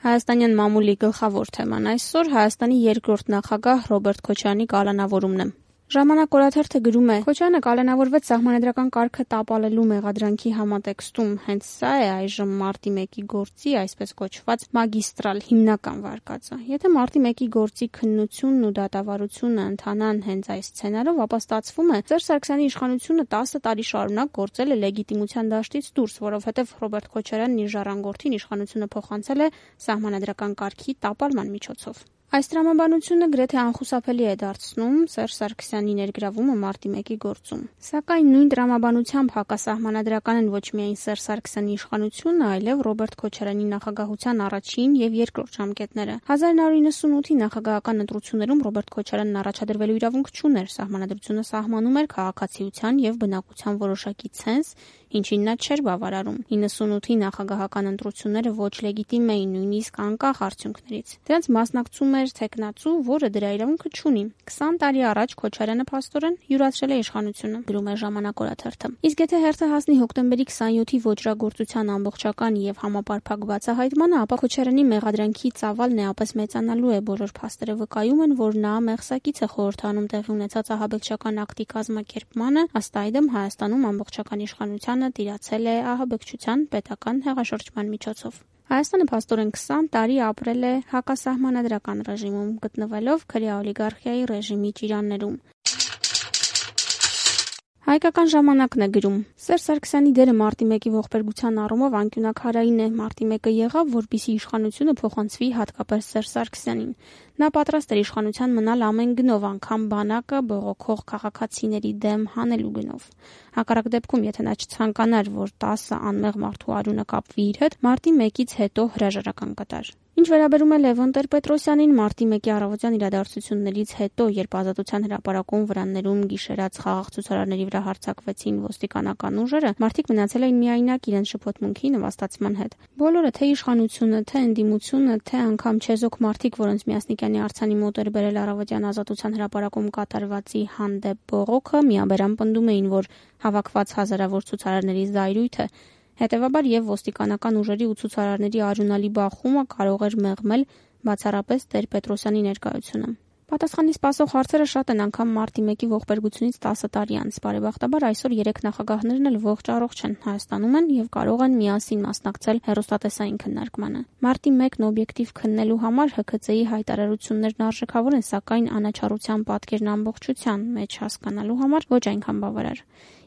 Հայաստանյան մամուլի գլխավոր թեման այսօր Հայաստանի երկրորդ նախագահ Ռոբերտ Քոչարյանի կալանավորումն է։ Ժամանակ օրաթերթը գրում է. Քոչարյանը կալանավորվեց սահմանադրական կարգը տապալելու մեղադրանքի համատեքստում։ Հենց սա է այժմ մարտի 1-ի գործի, այսպես կոչված, մագիստրալ հիմնական վարկածը։ Եթե մարտի 1-ի գործի քննությունն ու դատավարությունը ընթանան հենց այս սցենարով, ապա ստացվում է Սերժ Սարգսյանի իշխանությունը 10 տարի շարունակ գործել է լեգիտիմության դաշտից դուրս, որովհետև Ռոբերտ Քոչարյանն իր ժառանգորդին իշխանությունը փոխանցել է սահմանադրական կարգի տապալման միջոցով։ Այս տրամաբանությունը գրեթե անխուսափելի է դարձնում Սերժ Սարգսյանի ներգրավումը մարտի 1-ի գործում։ Սակայն նույն տրամաբանությամբ հակասահմանադրական են ոչ միայն Սերժ Սարգսյանի իշխանությունը, այլև Ռոբերտ Քոչարյանի նախագահության առաջին եւ երկրորդ ժամկետները։ 1998-ի նախագահական ընտրություններում Ռոբերտ Քոչարյանն առաջադրվելու իրավունք չուներ, սահմանադրությունը սահմանում էր քաղաքացիության եւ բնակության որոշակի ցենզ, ինչին նա չէր բավարարում։ 98-ի նախագահական ընտրությունները ոչ լեգիտիմ էին, նույնիսկ անկախ արդյունքներից։ Դրանց մասնակցում էր թեկնածու, որը դրա իրավունքը չունի։ 20 տարի առաջ Քոչարյանը փաստորեն յուրացրել է իշխանությունը, գրում է Ժամանակ օրաթերթը։ Իսկ եթե հերթը հասնի հոկտեմբերի 27-ի ոճրագործության ամբողջական եւ համապարփակ բացահայտմանը, ապա Քոչարյանի մեղադրանքի ծավալն էապես մեծանալու է։ Բոլոր փաստերը վկայում են, որ նա մեղսակից է խորհրդանում տեղի ունեցած ահաբեկչական ակտի կազմակերպմանը, ըստ այդմ Հայաստանում ամբողջական իշխանությանը տիրացել է ահաբեկչության պետական հեղաշրջման միջոցով։ Հայաստանը փաստորեն 20 տարի ապրել է հակասահմանադրական ռեժիմում, գտնվելով քրեա օլիգարխիայի ռեժիմի ճիրաններում։ Հայկական ժամանակն է գրում. Սերժ Սարգսյանի դերը մարտի 1-ի ողբերգության առումով անկյունաքարային է։ Մարտի 1-ը եղավ, որպեսզի իշխանությունը փոխանցվի հատկապես Սերժ Սարգսյանին։ Նա պատրաստ էր իշխանության մնալ ամեն գնով, անգամ բանակը բողոքող քաղաքացիների դեմ հանելու գնով։ Հակառակ դեպքում, եթե նա չցանկանար, որ 10 անմեղ մարդու արյունը կապվի իր հետ, մարտի 1-ից հետո հրաժարական կտար։ Ինչ վերաբերում է Լևոն Տեր-Պետրոսյանին, մարտի 1-ի առավոտյան իրադարձություններից հետո, երբ Ազատության հրապարակում վրաններում գիշերած խաղաղ ցուցարարների վրա հարձակվեցին ոստիկանական ուժերը, մարդիկ մնացել էին միայնակ իրենց շփոթմունքի նվաստացման հետ։ Բոլորը, թե իշխանությունը, թե ընդդիմությունը, թե անգամ չեզոք մարդիկ, որոնց Միասնիկյանի արձանի մոտ էր բերել առավոտյան Ազատության հրապարակում կատարվածի հանդեպ բողոքը, միաբերան պնդում էին, որ հավաքված հազարավոր ցուցարարների զայրույթ է։ Հետևաբար եւ ոստիկանական ուժերի ու ցուցարարների արյունալի բախումը կարող էր մեղմել բացառապես Տեր-Պետրոսյանի ներկայությունը։ Պատասխանի սպասող հարցերը շատ են անգամ մարտի 1-ի ողբերգությունից 10 տարի անց։ Բարեբախտաբար այսօր 3 նախագահներն էլ ողջ առողջ են, Հայաստանում են եւ կարող են միասին մասնակցել հեռուստատեսային քննարկմանը։ Մարտի 1-ն օբյեկտիվ քննելու համար ՀՔԾ-ի հայտարարություններն արժեքավոր են, սակայն անաչառության պատկերն ամբողջության մեջ հասկանալու համար ոչ այնքան բավարար։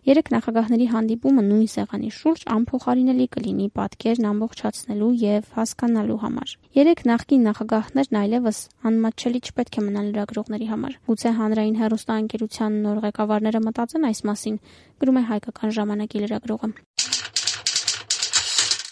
3 նախագահների հանդիպումը նույն սեղանի շուրջ անփոխարինելի կլինի պատկերն ամբողջացնելու եւ հասկանալու համար։ 3 նախկին նախագահներն այլևս անմատչելի չպետք է մնան լրագրողների համար։ Գուցե հանրային հեռուստաընկերության նոր ղեկավարները մտածեն այս մասին, գրում է Հայկական ժամանակի լրագրողը։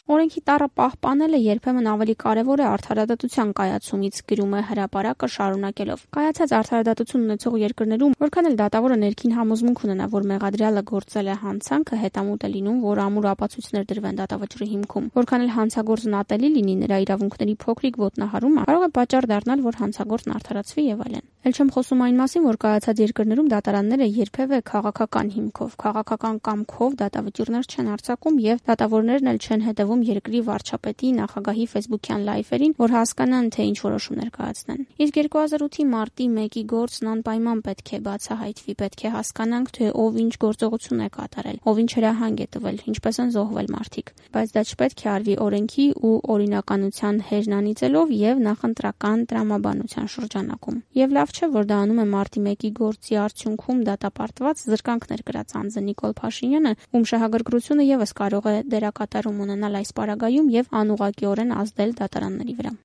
Օրենքի տառը պահպանելը երբեմն ավելի կարևոր է արդարադատության կայացումից, գրում է Հրապարակը շարունակելով։ Կայացած արդարադատություն ունեցող երկրներում, որքան էլ դատավորը ներքին համոզմունք ունենա, որ մեղադրյալը գործել է հանցանքը, հետամուտ է լինում, որ ամուր ապացույցներ դրվեն դատավճռի հիմքում։ Որքան էլ հանցագործն ատելի լինի, նրա իրավունքների փոքրիկ ոտնահարումը կարող է պատճառ դառնալ, որ հանցագործն արդարացվի եւ այլն։ Էլ չեմ խոսում այն մասին, որ կայացած երկրներում դատարանները երբևէ քաղաքական հիմքով, քաղաքական կամքով դատավճիռներ չեն արձակում եւ դատավորներն էլ չեն հետևում երկրի վարչապետի, նախագահի ֆեյսբուքյան լայվերին, որ հասկանան, թե ինչ որոշումներ կայացնեն։ Իսկ 2008-ի մարտի 1-ի գործն անպայման պետք է բացահայտվի, պետք է հասկանանք, թե ով ինչ գործողություն է կատարել, ով ինչ հրահանգ է տվել, ինչպես են զոհվել մարդիկ։ Բայց դա չպետք է արվի օրենքի ու օրինականության հերն անիծելով եւ նախընտրական տրամաբանության շրջանակում։ Եվ լավ չէ, որ դա անում է մարտի 1-ի գործի արդյունքում դատապարտված զրկանքներ կրած անձը Նիկոլ Փաշինյանը, ում շահագրգռությունը եւս կարող է դերակատարում ունենալ այս պարագայում եւ անուղղակիորեն ազդել դատարանների վրա։